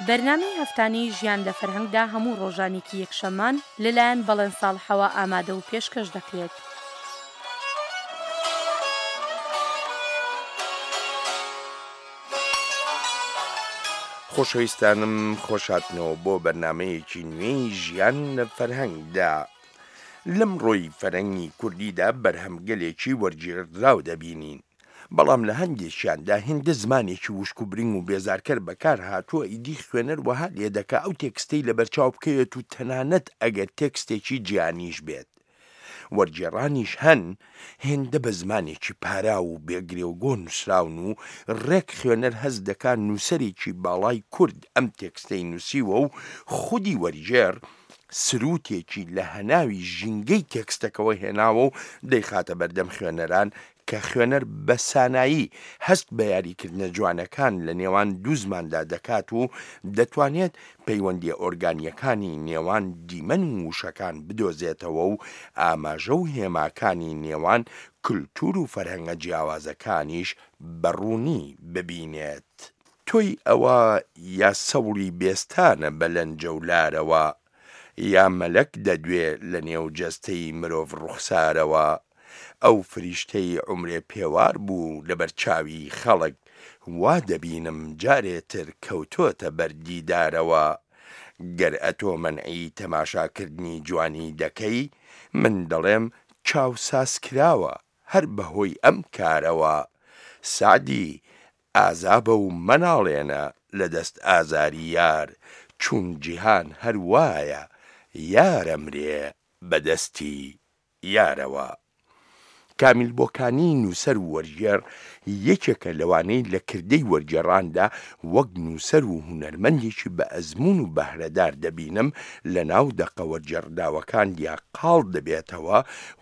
بەرنامەی هەفتانەی ژیان لە فەرهەنگدا هەموو ڕۆژانێکی یەکشەممان لەلایەن بەڵێن ساڵحەوە ئامادە و پێشکەش دەکرێت. خۆشەویستانم خۆشهاتنەوە بۆ بەرنامەیەکی نوێی ژیان لە فەرهەنگدا. لەمڕۆی فەرهەنگی کوردیدا بەرهەمگەلێکی وەرگێڕدراو دەبینین. بەڵام لە هەندێکیاندا هێندە زمانێکی وشک و برنگ و بێزارکەر بەکار هاتووە ئیدی خوێنەر وەها لێدەکا ئەو تێکستەی لەبەرچاو بکەوێت و تەنانەت ئەگەر تێکستێکی جیهانیش بێت وەرگێڕانیش هەن هێندە بە زمانێکی پاراو و بێ گرێوگۆ نووسراون و ڕێک خوێنەر هەست دەکا نووسەرێکی باڵای کورد ئەم تێکستەی نووسیوە و خودی وەرگێڕ سرووتێکی لە هەناوی ژینگەی تێکستەکەوە هێناوە و دەیخاتە بەردەم خوێنەران کە خوێنەر بە سانایی هەست بە یاریکردنە جوانەکان لە نێوان دوو زماندا دەکات و دەتوانێت پەیوەندییە ئۆرگانییەکانی نێوان دیمەن و وشەکان بدۆزێتەوە و ئاماژە و هێماکانی نێوان کولتوور و فەرهەنگە جیاوازەکانیش بە ڕوونی ببینێت. تۆی ئەوە یا سەوڵی بێستانە بە لەنجە و لارەوە، یا مەلەک دەدوێ لە نێو جەستەی مرۆڤ ڕوخسارەوە، ئەو فریشتەی عومرێ پێوار بوو لەبەر چاوی خەڵک، وا دەبینم جارێ تر کەوتۆتە بەر دیدارەوە. گەر ئەتۆ مەنعی تەماشا کردنی جوانی دەکەی، من دەڵێم چاو ساز کراوە هەر بە هۆی ئەم کارەوە. سەعدی، ئازابە و مەناڵێنە لە دەست ئازاری یار، چون جیهان هەر وایە یار ئەمرێ بە دەستی یارەوە. کامیل بۆکانی نووسەر و وەرگێڕ یەکێکە لەوانەی لە کردەی وەرگێڕاندا وەک نووسەر و هونەرمەندێکی بە ئەزموون و بەهرەدار دەبینم لە ناو دەقە وەرگێڕداوەکاندیا قاڵ دەبێتەوە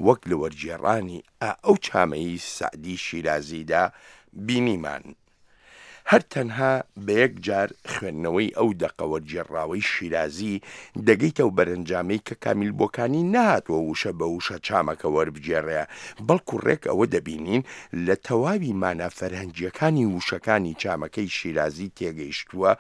وەک لە وەرگێڕانی ئا ئەو چامەی سەعدی شیرازیدا بینیمان. هەر تەنها بە یەک جار خوێندنەوەی ئەو دەقە وەرگێڕراوەی شیرازی دەگەیتە ئەو بەرەنجامەی کە کامیل بۆکانی نەهاتووە وشە بە وشە چامەکە وەربگێڕێ، بەڵکو ڕێک ئەوە دەبینین لە تەواوی مانا فەرهەنگییەکانی وشەکانی چامەکەی شیرازی تێگەیشتووە،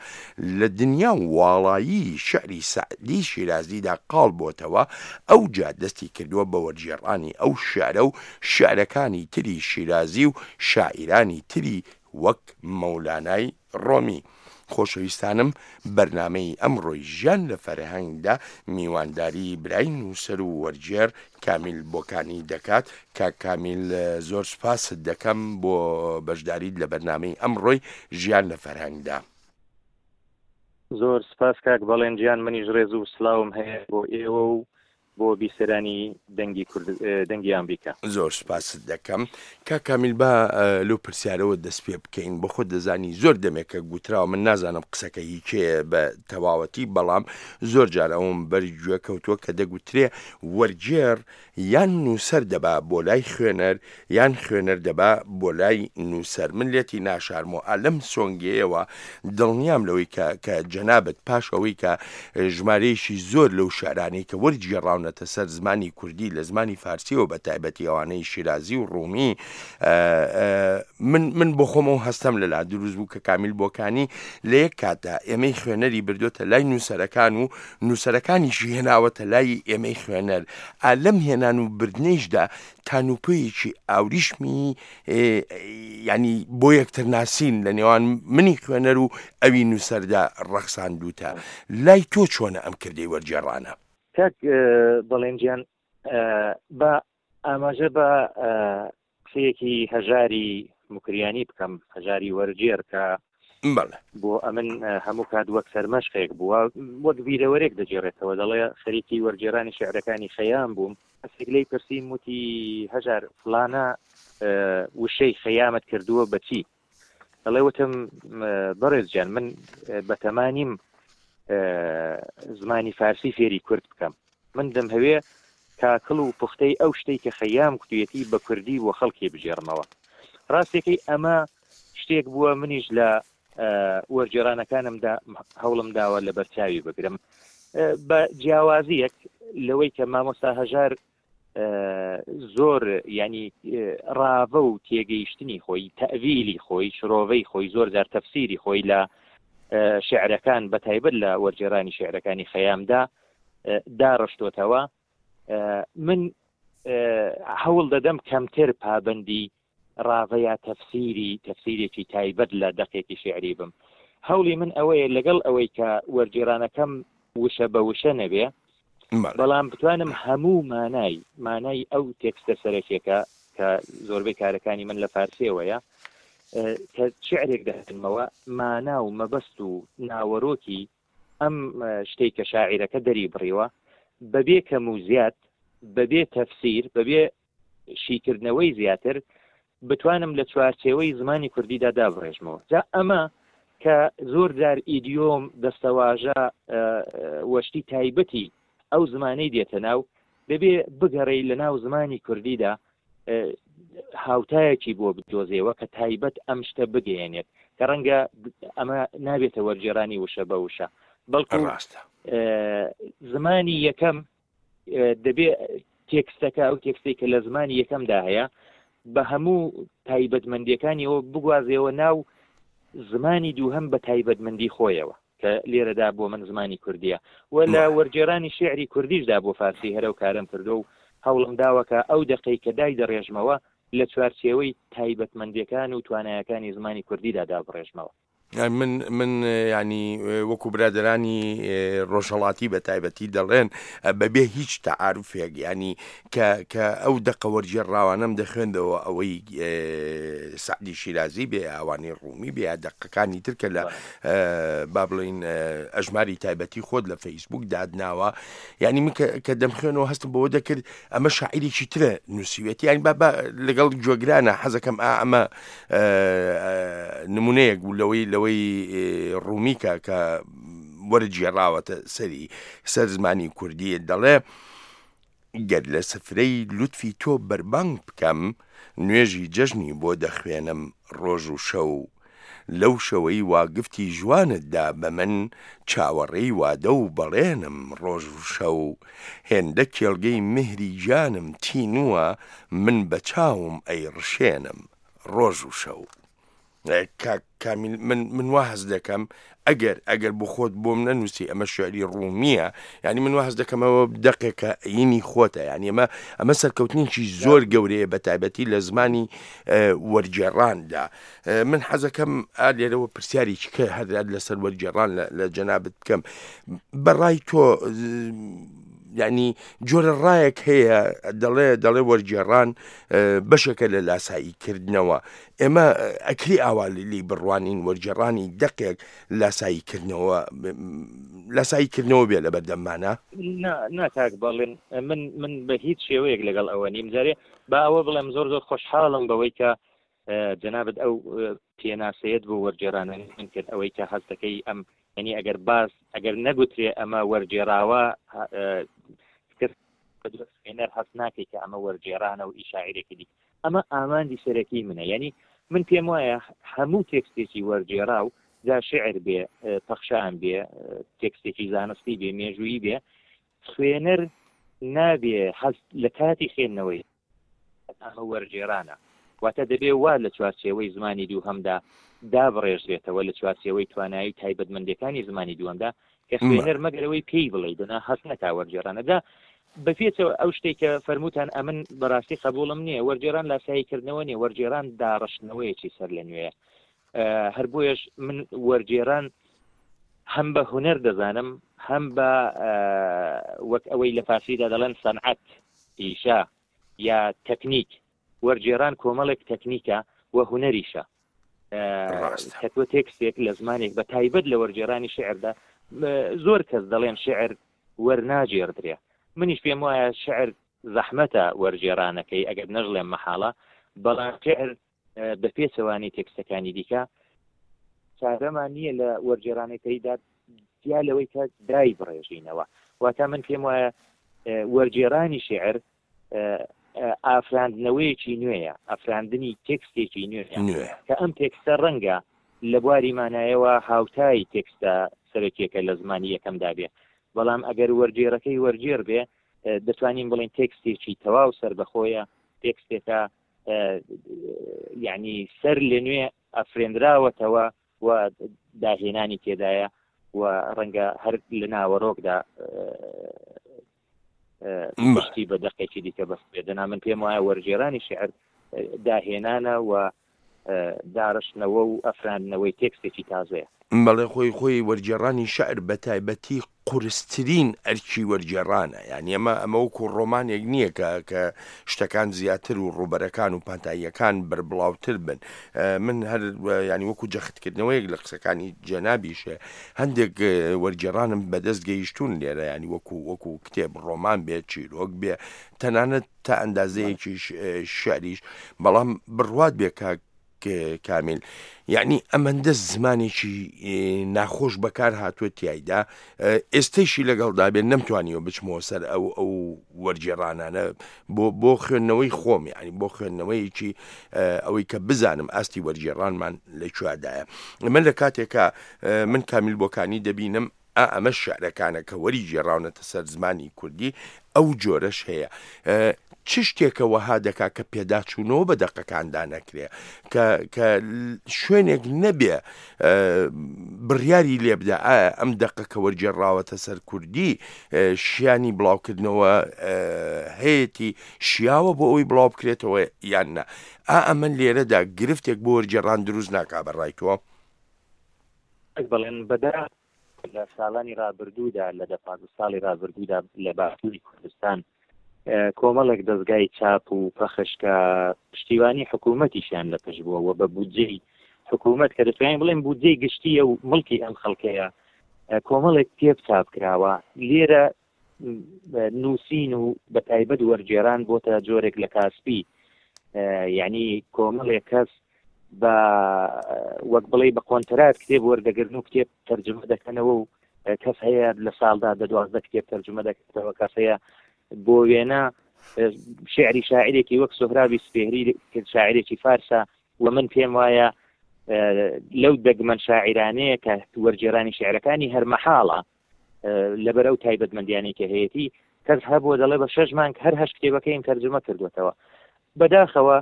لە دنیا و واڵایی شیعری سەعدی شیرازیدا قاڵ بۆتەوە، ئەوجا دەستی کردووە بە وەرگێڕانی ئەو شیعرە و شیعرەکانی تری شیرازی و شاعیرانی تری وەک مەولانای ڕۆمی. خۆشەویستانم بەرنامەی ئەمڕۆی ژیان لە فەرهەنگدا میوانداری برای نووسەر و وەرگێڕ کامیل بۆکانی دەکات. کاک کامیل زۆر سوپاست دەکەم بۆ بەشداریت لە بەرنامەی ئەمڕۆی ژیان لە فەرهەنگدا. زۆر سپاس کاک بەڵێن گیان منیش ڕێز و سلاوم هەیە بۆ ئێوە و بۆ بیسەرانی دەنگی کورد دەنگی ئامریکا. زۆر سپاست دەکەم کاک کامیل با لەو پرسیارەوە دەست پێ بکەین بۆ خۆت دەزانی زۆر دەمێکە گوتراوە من نازانم قسەکە هی کێیە بە تەواوەتی بەڵام زۆر جار ئەوم بەر گوێ کەوتووە کە دەگوترێ وەرگێڕ یان نووسەر دەبا بۆ لای خوێنەر یان خوێنەر دەبا بۆ لای نووسەر من لێتی ناشارمەوە ئا لەم سۆنگەیەوە دڵنیام لەوەی کە کە جەنابت پاش ئەوەی کە ژمارەیەکی زۆر لەو شعرانەی کە وەرگێڕاونەتە سەر زمانی کوردی لە زمانی فارسیەوە بە تایبەتی ئەوانەی شیرازی و ڕوومی من من بۆ خۆمەوە هەستەم لەلا دروست بوو کە کامیل بۆکانی لە یەک کاتدا ئێمەی خوێنەری بردوێتە لای نووسەرەکان و نووسەرەکانیشی هێناوەتە لای ئێمەی خوێنەر ئا لەم هێنان و بردنەیشدا تانوپۆیەکی ئاوریشمی ینی بۆ یەکتر ناسین لە نێوان منی خوێنەر و ئەوی نووسەردا ڕەخساندووتە لای تۆ چۆنە ئەم کردەی وەرگێڕانە؟ کاک بەڵێن گیان با ئاماژە بە قسەیەکی هەژاری موکریانی بکەم، هەژاری وەرگێڕ کە بەڵێ. بۆ ئەمن هەموو کات وەک سەرمەشقێک بووە، وەک بیرەوەرێک دەگێڕێتەوە، دەڵێ خەریکی وەرگێڕانی شیعرەکانی خەیام بووم، کەسێک لێی پرسیم وتی هەژار فڵانە وشەی خەیامت کردووە بە چی؟ دەڵێ وتم بەڕێز گیان من بەتەما نیم زمانی فارسی فێری کورد بکەم، من دەمهەوێ کاکڵ و پوختەی ئەو شتەی کە خەیام کوتویەتی بە کوردی بۆ خەڵکی بگێڕمەوە. ڕاستیەکەی ئەمە شتێک بووە منیش لە وەرگێڕانەکانمدا هەوڵم داوە لەبەرچاوی بگرم بە جیاوازیەک لەوەی کە مامۆستا هەژار زۆر ینی ڕاڤە و تێگەیشتنی خۆی تەویلی خۆی شرۆڤەی خۆی زۆر جار تەفسیری خۆی لە. شعرەکان بە تایبەت لە وەرگێڕانی شعرەکانی خەیامدا داڕشتۆتەوە من هەوڵ دەدەم کەمتر پابندی ڕاڤە یا تەفسیری تەفسیرێکی تایبەت لە دەقێکی شیعری بم. هەوڵی من ئەوەیە لەگەڵ ئەوەی کە وەرگێڕانەکەم وشە بە وشە نەبێ، بەڵام بتوانم هەموو مانای مانای ئەو تێکستە سەرەکیەکە کە زۆربەی کارەکانی من لە فارسیەوەیە کە شعرێک دەخوێنمەوە مانا و مەبەست و ناوەرۆکی ئەم شتەی کە شاعیرەکە دەری بڕیوە بەبێ کەم و زیاد بەبێ تەفسیر بەبێ شیکردنەوەی زیاتر بتوانم لە چوارچێوەی زمانی کوردیدا دابڕێژمەوە جا ئەمە کە زۆر جار ئیدیۆم دەستەواژە وەشتی تایبەتی ئەو زمانەی دێتە ناو دەبێ بگەڕێی لە ناو زمانی کوردیدا هاوتایەکی بۆ بدۆزێەوە کە تایبەت ئەم شتە بگەیەنێت کە ڕەنگە ئەمە نابێتە وەرگێرانی وشە بە وشە بەڵکو ڕاستە زمانی یەکەم دەبێ تێکستەکە ئەو تێکستێک کە لە زمانی یەکەمدا هەیە بە هەموو تایبەتمەندیەکانیەوە بگوازێەوە ناو زمانی دووهەم بە تایبەتمەندی خۆیەوە کە لێرەدا بۆ من زمانی کوردیە و لە وەرگێرانی شعری کوردیشدا بۆ فارسی هەرەو کارم کردو و هەوڵم داوە کە ئەو دەقەی کە دای دەڕێژمەوە لە چوارچێوەی تایبەتمەندیەکان و توانایەکانی زمانی کوردیدا دابڕێژمەوە. من من ینی وەکو برادرانی ڕۆژهڵاتی بە تایبەتی دەڵێن بەبێ هیچ تەعاعرفێک ینی کە کە ئەو دەقە وەرگێڕراوانەم دەخوێندەوە ئەوەی سعدی شیرازی بێ ئەوانی ڕوومی بێ دەقەکانی تر کە لە با بڵین ئەژماری تایبەتی خۆت لە فەیسبوک دادناوە یعنی من کە دەمخوێنەوە هەستم بەوە دەکرد ئەمە شاعیرێکی ترە نووسیوێتی یانی با لەگەڵ گوێگرانە حەزەکەم ئا ئەمە نمونەیەک بوو لەوەی لەوەی ڕوومیکە کە وەرگێڕاوەتە سەری سەر زمانی کوردی دەڵێ گەر لە سفرەی لوتفی تۆ بەربانگ بکەم نوێژی جەژنی بۆ دەخوێنم ڕۆژ و شەو لەو شەوەی وا گفتی ژوانت دا بە من چاوەڕێی وادە و بەڵێنم ڕۆژ و شەو هێندە کێڵگەی میهری گیانم تینووە من بە چاوم ئەیڕشێنم ڕۆژ و شەو. کاک کامیل من من وا هەست دەکەم ئەگەر ئەگەر بۆ خۆت بۆم نەنووسی ئەمە شعری ڕوومیە یعنی من وا هەست دەکەمەوە دەقێکە ئینی خۆتە یعنی ئەمە ئەمە سەرکەوتنێکی زۆر گەورەیە بە تایبەتی لە زمانی وەرگێڕاندا من حەزەکەم ئا لێرەوە پرسیارێکی کە هەر لەسەر وەرگێڕان لە جەنابت بکەم بەڕای تۆ یعنی جۆرە ڕایەک هەیە دەڵێ دەڵێ وەرگێڕان بەشێکە لە لاسایی کردنەوە ئێمە ئەکری ئاوا لی بڕوانین وەرگێڕانی دەقێک لاسایی کردنەوە لاسایی کردنەوە بێ لە بەردەممانە؟ نا نا کاک بەڵێن من من بە هیچ شێوەیەک لەگەڵ ئەوە نیم جارێ با ئەوە بڵێم زۆر زۆر خۆشحاڵم بەوەی کە جەنابت ئەو پێناسەیەت بۆ وەرگێڕانە من کرد ئەوەی کە هەست دەکەی ئەم یعنی ئەگەر باس ئەگەر نەگوترێ ئەمە وەرگێڕاوە کەس خوێنەر هەست ناکەی کە ئەمە وەرگێڕانە و ئی شاعیرێکی دیکە ئەمە ئامانجی سەرەکی منە یعنی من پێم وایە هەموو تێکستێکی وەرگێڕاو جا شعر بێ پەخشان بێ تێکستێکی زانستی بێ مێژوویی بێ خوێنەر نابێ هەست لە کاتی خوێندنەوەی ئەمە وەرگێڕانە، واتە دەبێ وا لە چوارچێوەی زمانی دووهەمدا دابڕێژرێتەوە، لە چوارچێوەی توانایی و تایبەتمەندییەکانی زمانی دووەمدا، کە خوێنەر مەگەر ئەوەی پێی بڵێی، دەنا هەست نەکا وەرگێڕانە. جا بە پێچەوە ئەو شتەی کە فەرمووتان ئەمن بەڕاستی قەبووڵم نییە، وەرگێڕان لاساییکردنەوە نییە، وەرگێڕان داڕشتنەوەیەکی سەرلەنوێیە. هەر بۆیەش من وەرگێڕان هەم بە هونەر دەزانم، هەم بە وەک ئەوەی لە فارسیدا دەڵێن سەنعەت، پیشە یا تەکنیک، وەرگێڕان کۆمەڵێک تەکنیکە و هونەریشە. کە تۆ تێکستێک لە زمانێک بە تایبەت لە وەرگێڕانی شعردا زۆر کەس دەڵێن شعر وەرناگێڕدرێ منیش پێم وایە شعر زەحمەتە وەرگێڕانەکەی ئەگەر نەژڵێم مەحاڵە بەڵام شعر بە پێچەوانەی تێکستەکانی دیکە چارەمان نییە لە وەرگێڕانەکەیدا جیا لەوەی کە دای بڕێژینەوە واتە من پێم وایە وەرگێڕانی شعر ئافراندنەوەیەکی نوێیە ئەفراندنی تێکستێکی نوێ کە ئەم تێکستە ڕەنگە لە بواری مانایەوە هاوتای تێکستە سەرەکیەکە لە زمانی یەکەمدا بێ بەڵام ئەگەر وەرگێڕەکەی وەرگێڕ بێ دەتوانین بڵێن تێکستێکی تەواو سەربەخۆیە تێکستێکە یعنی سەر لە نوێ ئەفرێنراوەتەوە. و داهێنانی تێدایە و ڕەنگە هەر لە ناوەڕۆکدا پشتی بە دەقێکی دیکە بەستبێ دەنا من پێم وایە وەرگێرانی شعر داهێنانە و داڕشتنەوە و ئەفراندنەوەی تێکستێکی تازەیە. بەڵێ خۆی خۆی وەرگێڕانی شعر بە تایبەتی قورسترین ئەرکی وەرگێڕانە یانی ئەمە ئەمە وەکو ڕۆمانێک نییە کە کە شتەکان زیاتر و ڕووبەرەکان و پانتاییەکان بەربڵاوتر بن من هەر ینی وەکو جەختکردنەوەیەک لە قسەکانی جەنابیشێ هەندێک وەرگێڕانم بەدەست گەیشتوون لێرە ینی وەکو وەکو کتێب ڕۆمان بێ چیرۆک بێ تەنانەت تا ئەندازەیەکیش شعریش بەڵام بڕوات بێ کاک کامیل یعنی ئەمەندە زمانێکی ناخۆش بەکار هاتووە تایدا ئێستەیشی لەگەڵدا بێن نەمتوانیوە بچمەوە سەر ئەو ئەو وەرگێڕانانە بۆ بۆ خوێندنەوەی خۆم یعنی بۆ خوێندنەوەیەکی ئەوەی کە بزانم ئاستی وەرگێڕانمان لە کوێدایە من لە کاتێکا من کامیل بۆکانی دەبینم ئا ئەمە شعرەکانە کە وەری گێڕاونەتە سەر زمانی کوردی ئەو جۆرەش هەیە چ شتێکە وەها دەکا کە پێداچوونەوە بە دەقەکاندا نەکرێ کە کە شوێنێک نەبێ بڕیاری لێ بدا ئایا ئەم دەقە کە وەرگێڕاوەتە سەر کوردی شیانی بڵاوکردنەوە هەیەتی شیاوە بۆ ئەوی بڵاو بکرێتەوە یان نا ئا ئەمە لێرەدا گرفتێک بۆ وەرگێڕان دروست ناکا بە ڕای تۆ؟ بەڵێن بەدا لە ساڵانی رابردوودا لە دە پازدە ساڵی رابردوودا لە باشووری کوردستان کۆمەڵێک دەزگای چاپ و پەخش کە پشتیوانی حکوومەتیشیان لە پشت بووە و بە بودجەی حکوومەت کە دەتوانین بڵێن بودجەی گشتیە و مڵکی ئەم خەڵکەیە کۆمەڵێک کتێب چاپ کراوە لێرە نووسین و بە تایبەت وەرگێران بۆتە جۆرێک لە کاسپی یعنی کۆمەڵێک کەس بە وەک بڵێ بە کۆنترات کتێب وەردەگرن و کتێب تەرجمە دەکەنەوە و کەس هەیە لە ساڵدا دە دوازدە کتێب تەرجمە دەکاتەوە کەس هەیە بۆ وێنە شعری شاعرێکی وەک سۆهرابی سپێهری شاعرێکی فارسە و من پێم وایە لەو دەگمەن شاعرانەیە کە وەرگێرانی شعرەکانی هەر مەحاڵە لەبەر ئەو تایبەتمەندیانەی کە هەیەتی کەس هەبووە دەڵێ بە شەش مانگ هەر هەشت کتێبەکەیم تەرجمە کردوێتەوە بەداخەوە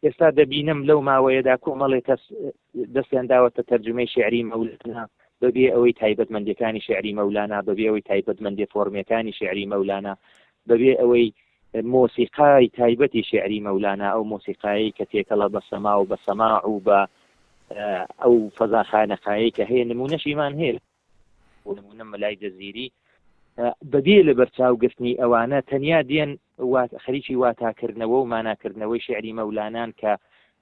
ئێستا دەبینم لەو ماوەیەدا کۆمەڵێک کەس دەستیان داوەتە تەرجمەی شعری مەولانا بەبێ ئەوەی تایبەتمەندەکانی شعری مەولانا بەبێ ئەوەی تایبەتمەندی فۆرمەکانی شعری مەولانا بەبێ ئەوەی مۆسیقای تایبەتی شعری مەولانا ئەو مۆسیقایی کە تێکەڵە بە سەما و بە سەماع و بە ئەو فەزا خانەقایەی کە هەیە نمونەشیمان هەیە بۆ نمونە مەلای جەزیری بەبێ لە بەرچاوگرتنی ئەوانە تەنیا دێن خەریکی واتاکردنەوە و ماناکردنەوەی شعری مەولانان کە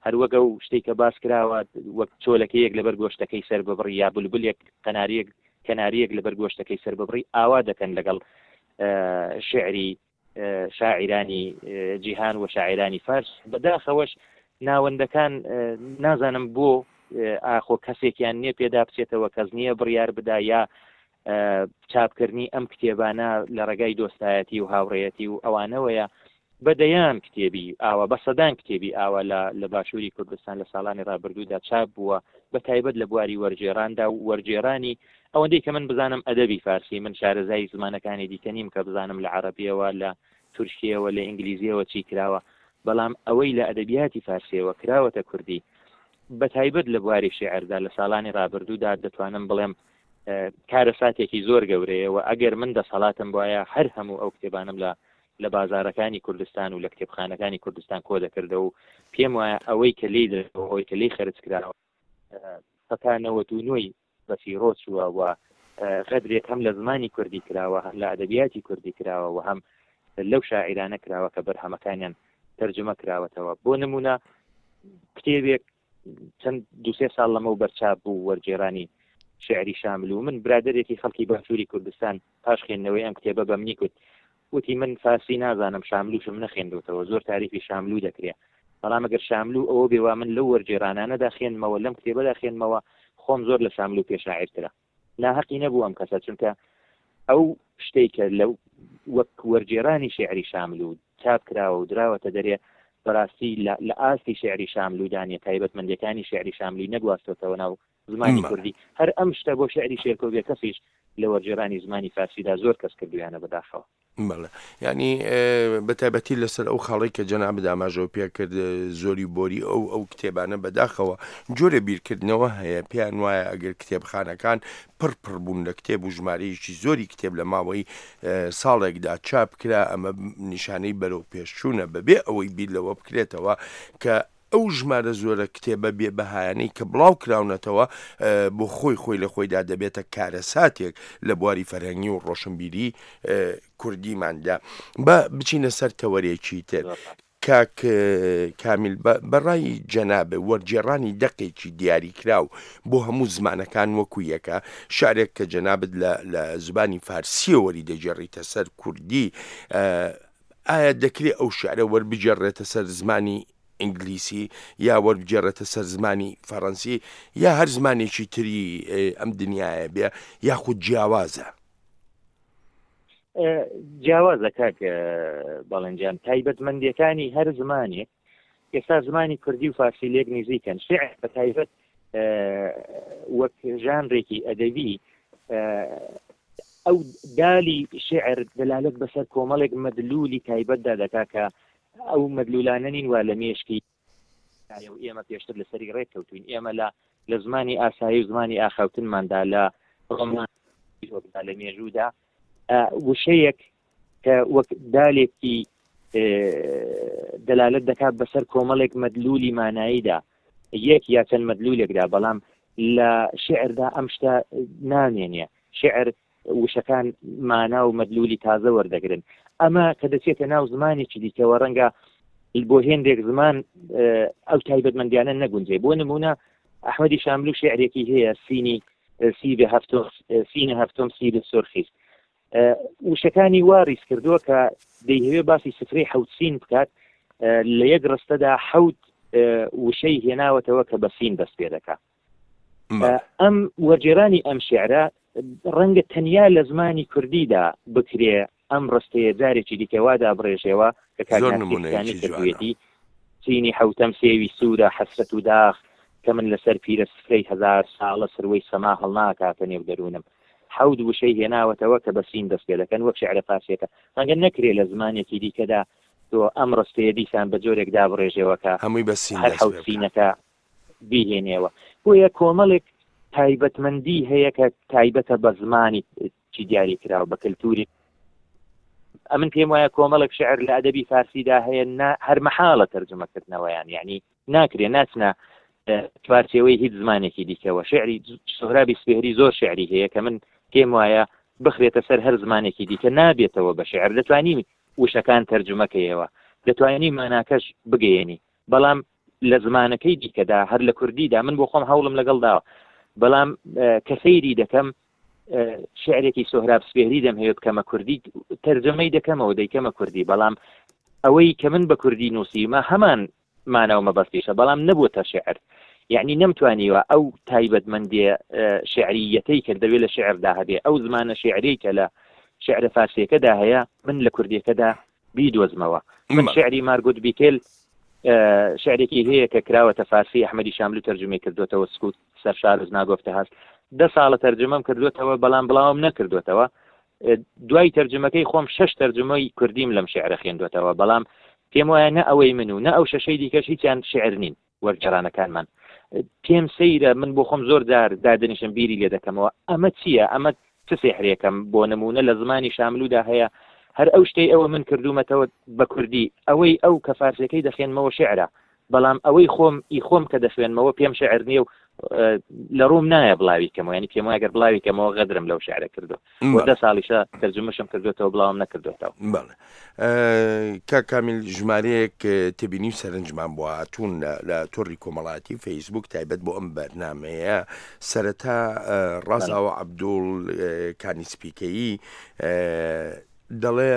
هەروەک ئەو شتێک کە باس کراوە وەک چۆلەکەیەک لەبەر گۆشتەکەی سەر ببڕی یا بولبولێک قەناریەک کەناریەک لەبەر گۆشتەکەی سەر ببڕی ئاوا دەکەن لەگەڵ شعری شاعیرانی جیهان و شاعیرانی فارس بەداخەوەش ناوەندەکان نازانم بۆ ئاخۆ کەسێکیان نییە پێدا بچێتەوە کەس نییە بڕیار بدا یا چاپکردنی ئەم کتێبانە لە ڕێگای دۆستایەتی و هاوڕێیەتی و ئەوانەوەیە بە دەیان کتێبی ئاوا بە سەدان کتێبی ئاوا لە لە باشووری کوردستان لە ساڵانی ڕابردوودا چاپ بووە بە تایبەت لە بواری وەرگێڕاندا و وەرگێڕانی ئەوەندەی کە من بزانم ئەدەبی فارسی من شارەزای زمانەکانی دیکە نیم کە بزانم لە عەڕەبیەوە لە تورکیەوە لە ئینگلیزیەوە چی کراوە بەڵام ئەوەی لە ئەدەبیاتی فارسیەوە کراوەتە کوردی بە تایبەت لە بواری شێعردا لە ساڵانی ڕابردوودا دەتوانم بڵێم کارەساتێکی زۆر گەورەیە و ئەگەر من دەسەڵاتم بواە هەر هەموو ئەو کتێبانم لە لە بازارەکانی کوردستان و لە کتێبخانەکانی کوردستان کۆ دەکردەوە و پێم وایە ئەوەی کە لێی دەوە ئەوەی کە لێی خەرج کراوە سەتا نەوەت و نۆی بەفیڕۆ چووە و غەدرێک هەم لە زمانی کوردی کراوە هەم لە ئەدەبیاتی کوردی کراوە و هەم لەو شاعیرانە کراوە کە بەرهەمەکانیان تەرجمە کراوەتەوە بۆ نمونە کتێبێک چەند دوسێ ساڵ لەمەو بەرچاپ بوو وەرگێرانی شعری شامل و من برادێکی خەڵکی باشووری کوردستان پاش خوێندنەوەی ئەم کتێبە بە منی کوت وتی من فارسی نازانم شاملوشم نەخێندوتەوە زۆر تاریفی شاملو دەکرێ بەڵام ئەگەر شاملو ئەوە بێ وا من لەو وەرگێڕانانەدا خوێندمەوە لەم کتێبەدا خوێندمەوە خۆم زۆر لە شاملو پێ شاعیرترە ناهەقی نەبوو ئەم کەسە چونکە ئەو شتێک کە لەو وەک وەرگێرانی شعری شاملو چاپ کراوە و دراوەتە دەرێ بەڕاستی لە ئاستی شعری شاملودانە تایبەتمەندەکانی شعری شاملوی نەگواستۆتەوە ناو زمانی کوردی هەر ئەم شتە بۆ شعری شێرکۆ بێکەسیش لە وەرگێرانی زمانی فارسیدا زۆر کەس کردویانە بەداخەوە. بەڵێ یانی بە تایبەتی لەسەر ئەو خاڵەی کە جەنابت ئاماژەو پێ کرد زۆری بۆری ئەو ئەو کتێبانە بەداخەوە جۆرە بیرکردنەوە هەیە پێیان وایە ئەگەر کتێبخانەکان پڕ پڕ بوون لە کتێب و ژمارەیەکی زۆری کتێب لە ماوەی ساڵێکدا چاپ کرا ئەمە نیشانەی بەرەو پێشچوونە بەبێ ئەوەی بیر لەوە بکرێتەوە کە ئەو ژمارە زۆرە کتێبە بێ بەهایانەی کە بڵاو کراونەتەوە بۆ خۆی خۆی لە خۆیدا دەبێتە کارەساتێک لە بواری فەرهەنگی و ڕۆشنبیری کوردیماندا. با بچینە سەر تەوەرێکی تر. کاک کامیل بە ڕای جەنابت وەرگێڕانی دەقێکی دیاریکراو بۆ هەموو زمانەکان وەکو یەکە؟ شعرێک کە جەنابت لە لە زبانی فارسییەوە وەریدەگێڕیتە سەر کوردی ئایا دەکرێ ئەو شیعرە وەربگێڕرێتە سەر زمانی ئینگلیسی یا وەربگێڕێتە سەر زمانی فەڕەنسی یا هەر زمانێکی تری ئەم دنیاە بێ یاخود جیاوازە؟ جیاوازە کاک بەڵێنجان تایبەتمەندیەکانی هەر زمانێک ئێستا زمانی کوردی و فارسی لێک نزیکن شعر بە تایبەت وەک ژانرێکی ئەدەبی ئەو دالی شعر دەلالەت بەسەر کۆمەڵێک مەدلولی تایبەتدا دەکا کە ئەو مەدلولانە نین وا لە مێشکی و ئێمە پێشتر لەسەری ڕێک کەوتوین ئێمە لە لە زمانی ئاسایی و زمانی ئاخاوتنماندا لە ڕۆمان لە مێژوودا وشەیەک کە وەک دالێکی دەلالت دەکات بەسەر کۆمەڵێک مەدلولی ماناییدا یەک یا چەند مەدلولێکدا بەڵام لە شعردا ئەم شتە نامێنێ شعر وشەکان مانا و مەدلولی تازە وەردەگرن ئەمە کە دەچێتە ناو زمانێکی دیکەوە ڕەنگە بۆ هێندێک زمان ئەو تایبەتمەندیانە نەگونجێ بۆ نمونە ئەحمەدی شاملو شعرێکی هەیە سینی سیبێ هەفتۆم سینە هەفتۆم سیبێ سۆرخیست وشەکانی وا ڕیز کردووە کە دەیهەوێ باسی سفرەی حەوت سین بکات لە یەک ڕستەدا حەوت وشەی هێناوەتەوە کە بە سین دەست پێ دەکا ئەم وەرگێرانی ئەم شعرە ڕەنگە تەنیا لە زمانی کوردیدا بکرێ ئەم ڕستەیە جارێکی دیکە وا دابڕێژێەوە کە کاک زۆر ناسری نمونەیەکی کانی جوانە. کردوویەتی چینی حەوتەم سێوی سوورە حەسرەت و داخ کە من لەسەر پیرە سفرەی هەزار ساڵە سروەی سەما هەڵناکاتە نێو دەروونم حەوت وشەی هێناوەتەوە کە بە سین دەست پێ دەکەن وەک شیعرە فارسیەکە ڕەنگە نەکرێ لە زمانێکی دیکەدا تۆ ئەم ڕستەیە دیسان بە جۆرێک دابڕێژێەوە کە هەمووی بە سین هەر دەست حەوت پێ بکا. سینەکە بیهێنێەوە بۆیە کۆمەڵێک تایبەتمەندی هەیە کە تایبەتە بە زمانی چی دیاری کراوە بە کەلتوری ئەمن پێم وایە کۆمەڵێک شعر لە ئەدەبی فارسیدا هەیە هەر مەحاڵە تەرجمەکردنەوەیان یعنی ناکرێ ناچنە چوارچێوەی هیچ زمانێکی دیکەوە شعری سۆهرابی سپێهری زۆر شعری هەیە کە من پێم وایە بخرێتە سەر هەر زمانێکی دیکە نابێتەوە بە شعر دەتوانی وشەکان تەرجمەکەیەوە دەتوانی ماناکەش بگەیەنی بەڵام لە زمانەکەی دیکەدا هەر لە کوردیدا من بۆ خۆم هەوڵم لەگەڵ داوە بەڵام کە سەیری دەکەم شعرێکی سۆهراب سپێهری دەمهەوێت بکەمە کوردی تەرجەمەی دەکەمەوە دەیکەمە کوردی بەڵام ئەوەی کە من بە کوردی نووسیمە هەمان مانا و مەبەستیشە بەڵام نەبووتە شعر یعنی نەمتوانیوە ئەو تایبەتمەندێ شعریەتەی کە دەوێت لە شعردا هەبێ ئەو زمانە شعری کە لە شعرە فارسیەکەدا هەیە من لە کوردیەکەدا بیدۆزمەوە من شعری مارگوت بیکل شعرێکی هەیە کە کراوەتە فارسی ئەحمەدی شاملو تەرجمەی کردوێتەوە سکوت سەرشار ناگۆفتە هەست دە ساڵە تەرجمەم کردوێتەوە بەڵام بڵاوم نەکردوێتەوە دوای تەرجمەکەی خۆم شش تەرجمەی کوردیم لەم شعرە خوێندوێتەوە بەڵام پێم وایە نە ئەوەی من و نە ئەو شەشەی دیکەش هیچیان شعر نین وەرگێڕانەکانمان پێم سەیرە من بۆ خۆم زۆر جار دادەنیشم بیری لێ دەکەمەوە ئەمە چییە ئەمە چ سێحرێکەم بۆ نمونە لە زمانی شاملودا هەیە هەر ئەو شتەی ئەوە من کردومەتەوە بە کوردی ئەوەی ئەو کە فارسەکەی دەخێنمەوە شعرە بەڵام ئەوەی خۆم ئی خۆم کە دەخوێنمەوە پێم شعر نییە و لە ڕووم نایە بڵاوی کەمەوە ینی پێم وایە گەر بڵاوی کەمەوە غەدرم لەو شعرە کردو بۆ دە ساڵیشە تەرجمەشم کردوێتەوە بڵاوم نەکردوێتەوە. بەڵێ کاک کامیل ژمارەیەک تێبینی و سەرنجمان بۆ هاتوون لە تۆڕی کۆمەڵاتی فەیسبوک تایبەت بۆ ئەم بەرنمەیە سەرەتا ڕازاوە عەبدوڵ کانی سپیکەیی دەڵێ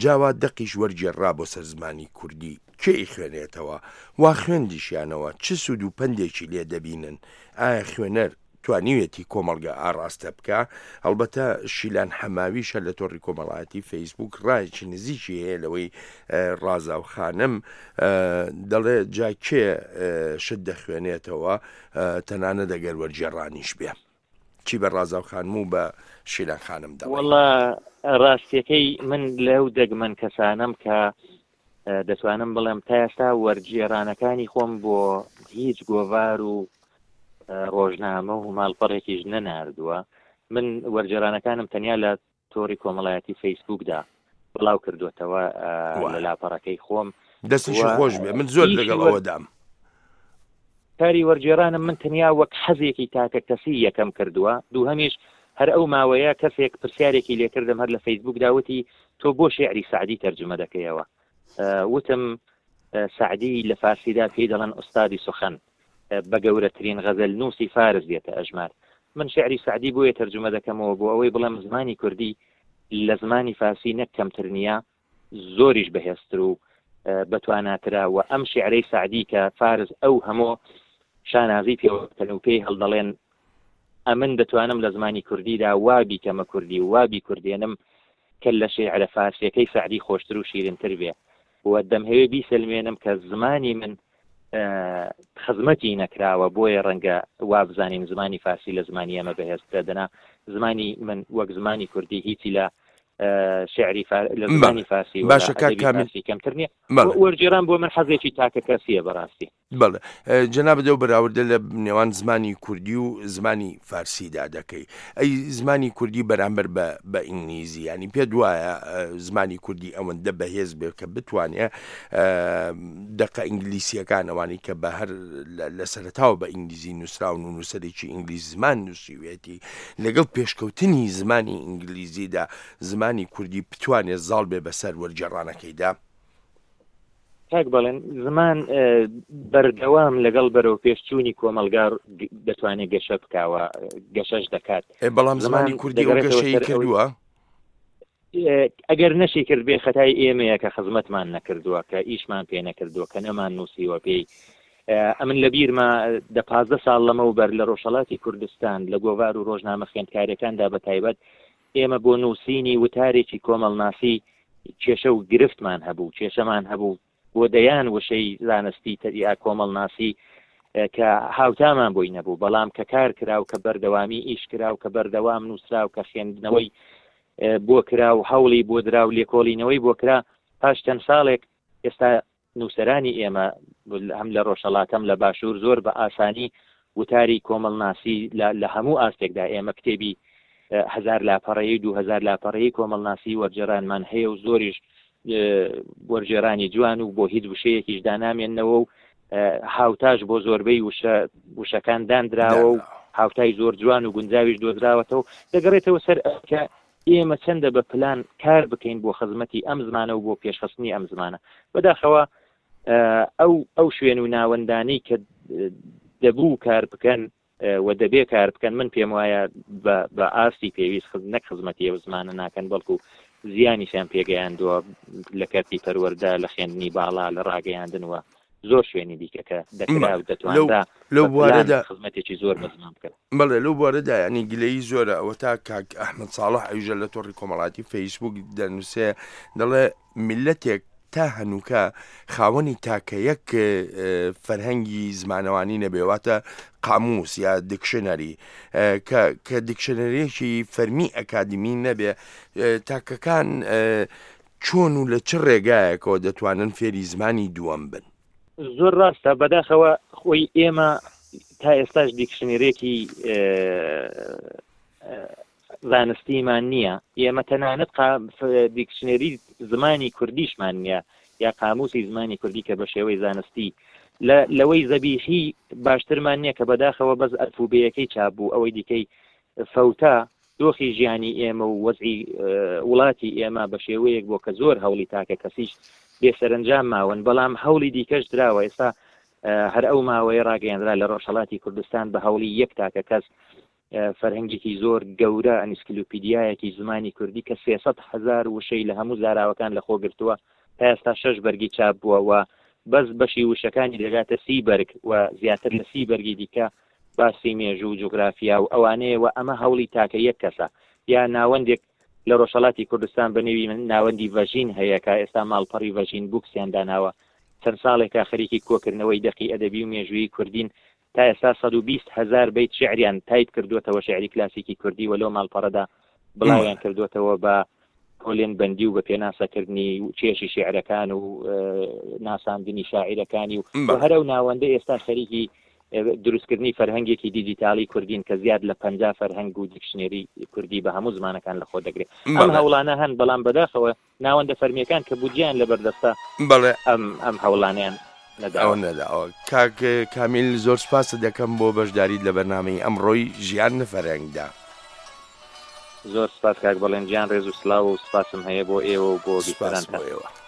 جاوا دەقیش وەرگێڕا بۆ سەر زمانی کوردی کێ ئیخوێنێتەوە وا خوێندیشیانەوە چ سوود و پەندێکی لێ دەبینن ئایا خوێنەر توانیویەتی کۆمەڵگە ئاڕاستە بکا، هەڵبەتە شیلان حەماویش هەر لە تۆڕی کۆمەڵایەتی فەیسبووک ڕایەکی نزیکی هەیە لەوەی ڕازاو خانم دەڵێ جا کێ شت دەخوێنێتەوە تەنانەت ئەگەر وەرگێڕانیش بێ. چی بە ڕازاو خانم و بە شیلان خانم دەڵێی؟ وەڵا ڕاستیەکەی من لەو دەگمەن کەسانەم کە دەتوانم بڵێم تا ئێستا وەرگێڕانەکانی خۆم بۆ هیچ گۆڤار و ڕۆژنامە و ماڵپەڕێکیش نەناردووە من وەرگێڕانەکانم تەنیا لە تۆڕی کۆمەڵایەتی فەیسبوکدا بڵاو کردوێتەوە لە لاپەڕەکەی خۆم. دەستیشی خۆش بێ من زۆر لەگەڵ ئەوەدام. کاری وەرگێڕانم من تەنیا وەک حەزێکی تاکە کەسی یەکەم کردووە، دووهەمیش هەر ئەو ماوەیە کەسێک پرسیارێکی لێکردم هەر لە فەیسبوکدا وتی تۆ بۆ شێعری سەعدی تەرجومە دەکەیەوە؟ وتم سەعدی لە فارسیدا پێی دەڵێن ئوستادی سوخەن بە گەورەترین غەزەلنووسی فارس دێتە ئەژمار. من شیعری سەعدی بۆیە تەرجومە دەکەمەوە بۆ ئەوەی بڵێم زمانی کوردی لە زمانی فارسی نەک کەمتر نییە، زۆریش بەهێزتر و بەتواناترە و ئەم شیعرەی سەعدی کە فارس ئەو هەمۆ شانازی پێوە دەکەن و پێی هەڵدەڵێن ئەمن دەتوانم لە زمانی کوردیدا وا بیکەمە کوردی و وا بیکوردێنم کە لە شیعرە فارسیەکەی سەعدی خۆشتر و شیرنتر بێ و دەمهەوێ بیسەلمێنم کە زمانی من خزمەتی نەکراوە بۆیە ڕەنگە وابزانین زمانی فارسی لە زمانی ئێمە بەهێزترە دەنا زمانی من وەک زمانی کوردی هیچی لە شعری لە زمانی فارسی باشە کاک کەمتر نییە وەرگێڕان بۆ من حەزێکی تاکە کەسیە بەڕاستی. بەڵێ جەنابت ئەو بەراوردە لە نێوان زمانی کوردی و زمانی فارسیدا دەکەی ئەی زمانی کوردی بەرامبەر بە بە ئینگلیزی ینی پێت وایە زمانی کوردی ئەوەندە بەهێز بێ کە بتوانێ دەقە ئینگلیسیەکان ئەوانەی کە بە هەر لە سەرتاوە بە ئینگلیزی نووسراون و نووسەرێکی ئینگلیز زمان نووسیوێتی لەگەڵ پێشکەوتنی زمانی ئینگلیزیدا زمانی کوردی بتوانێت زاڵ بێ بەسەر وەرگێڕانەکەیدا؟ کاک بەڵێن زمان بەردەوام لەگەڵ بەرەو پێشچوونی کۆمەلگا دەتوانێت گەشە بکاوە گەشەش دەکات بەڵام زمانی کوردی گەشەی کردووە ئەگەر نەشی کرد بێ خەتای ئێمەیە کە خزمەتمان نەکردووە کە ئیشمان پێ نەکردووە کە نەمان نووسیوە پێی ئەمن لە بیرمە دە پازدە ساڵ لەمەوبەر لە ڕۆژهەڵاتی کوردستان لە گۆڤار و ڕۆژنامە خوێندکاریەکاندا بە تایبەت ئێمە بۆ نووسینی وتارێکی کۆمەڵناسی کێشە و گرفتمان هەبوو، کێشەمان هەبوو بۆ دەیان وشەی زانستی تەرییا کۆمەڵناسی کە هاوتامان بۆی نەبوو، بەڵام کە کار کرا و کە بەردەوامی ئیش کرا و کە بەردەوام نووسرا و کە خوێندنەوەی بۆ کرا و هەوڵی بۆ درا و لێکۆڵینەوەی بۆ کرا، پاش چەند ساڵێک ئێستا نووسەرانی ئێمە هەم لە ڕۆژهەڵات هەم لە باشوور زۆر بە ئاسانی وتاری کۆمەڵناسی لە هەموو ئاستێکدا ئێمە کتێبی هەزار لاپەڕەیی و 2000 لاپەڕەیی کۆمەڵناسی وەرجێڕانمان هەیە و زۆریش وەرجێرانی جوان و بۆ هیچ وشەیەکیش دانامێنەوە و هاوتاش بۆ زۆربەی وشە وشەکان دانراوە و هاوتای زۆر جوان و گونجاویش دۆزراوەتەوە دەگەڕێتەوە سەر کە ئێمە چەندە بە پلان کار بکەین بۆ خزمەتی ئەم زمانە و بۆ پێشخستنی ئەم زمانە. بەداخەوە ئەو ئەو شوێن و ناوەندانەی کە دەبوو کار بکەن و دەبێ کار بکەن من پێم وایە بە ئاستی پێویست نەک خزمەتی ئەو زمانە ناکەن بەڵکو زیانیشیان پێگەیاندووە لە کەرتی پەروەردە لە خوێندنی باڵا لە ڕاگەیاندن و زۆر شوێنی دیکە کە دەکرا و دەتوانرا لەو بوارەدا خزمەتێکی زۆر بە زمان بکەن. بەڵێ لەو بوارەدا یانی گلەیی زۆرە ئەوەتا کاک ئەحمەد ساڵح ئەویژە لە تۆڕی کۆمەڵاتی فەیسبوک دەنووسێ دەڵێ میللەتێک تا هەنووکە خاوەنی تاکە یەک فەرهەنگی زمانەوانی نەبێ واتە قاموس یا دیکشنەری کە کە دیکشنەریەکی فەرمی ئەکادمی نەبێ تاکەکان چۆن و لە چ ڕێگایەکەوە دەتوانن فێری زمانی دووەم بن؟ زۆر ڕاستە، بەداخەوە خۆی ئێمە تا ئێستاش دیکشنێرێکی زانستیمان نییە، ئێمە تەنانەت دیکشنێری زمانی کوردیشمان نییە یا قاموسی زمانی کوردی کە بە شێوەی زانستی لەوەی زەبیحی باشترمان نییە کە بەداخەوە بەس ئەلفوبێیەکەی چاپ بوو ئەوەی دیکەی فەوتا، دۆخی ژیانی ئێمە و وەزعی وڵاتی ئێمە بە شێوەیەک بووە کە زۆر هەوڵی تاکە کەسیش بێ سەرەنجام ماون، بەڵام هەوڵی دیکەش دراوە، ئێستا هەر ئەو ماوەیە ڕاگەیەنرا لە ڕۆژهەڵاتی کوردستان بە هەوڵی یەک تاکە کەس فەرهەنگێکی زۆر گەورە ئەنیسکلوپیدیایەکی زمانی کوردی کە 300 هەزار وشەی لە هەموو زاراوەکان لەخۆ گرتووە تا ئێستا شەش بەرگی چاپ بووە و بەس بەشی وشەکانی دەگاتە سی بەرگ و زیاتر لە سی بەرگی دیکە باسی مێژوو و جوگرافیا و ئەوانەیە و ئەمە هەوڵی تاکە یەک کەسە یا ناوەندێک لە ڕۆژهەڵاتی کوردستان بە نێوی ناوەندی ڤەژین هەیە کە ئێستا ماڵپەڕی ڤەژین بوکسیان داناوە چەند ساڵێکە خەریکی کۆکردنەوەی دەقی ئەدەبی و مێژوویی کوردین. تا ئێستا 120 هەزار بەیت شیعریان تایپ کردووەتەوە شیعری کلاسیکی کوردی و لەو ماڵپەڕەدا بڵاویان کردووەتەوە بە پۆلێن بەندی و بە پێناسەکردنی چێژی شیعرەکان و ناساندنی شاعیرەکانی و هەر ئەو ناوەندە ئێستا خەریکی دروستکردنی فەرهەنگێکی دیجیتاڵی کوردین کە زیاد لە 50 فەرهەنگ و دیکشنێری کوردی بە هەموو زمانەکان لەخۆ دەگرێت. ئەم هەوڵانە هەن، بەڵام بەداخەوە ناوەندە فەرمییەکان کە بودجەیان لەبەردەستە بەڵێ. ئەم ئەم هەوڵانەیان نەداوە. ئەوە نەداوە. کاک کامیل زۆر سوپاست دەکەم بۆ بەشداریت لە بەرنامەی ئەمڕۆی ژیان لە فەرهەنگدا. زۆر سوپاس کاک بەڵێن گیان ڕێز و سڵاو و سوپاسم هەیە بۆ ئێوە و بۆ سوپاس بۆ بیسەرانتان. ئێوە.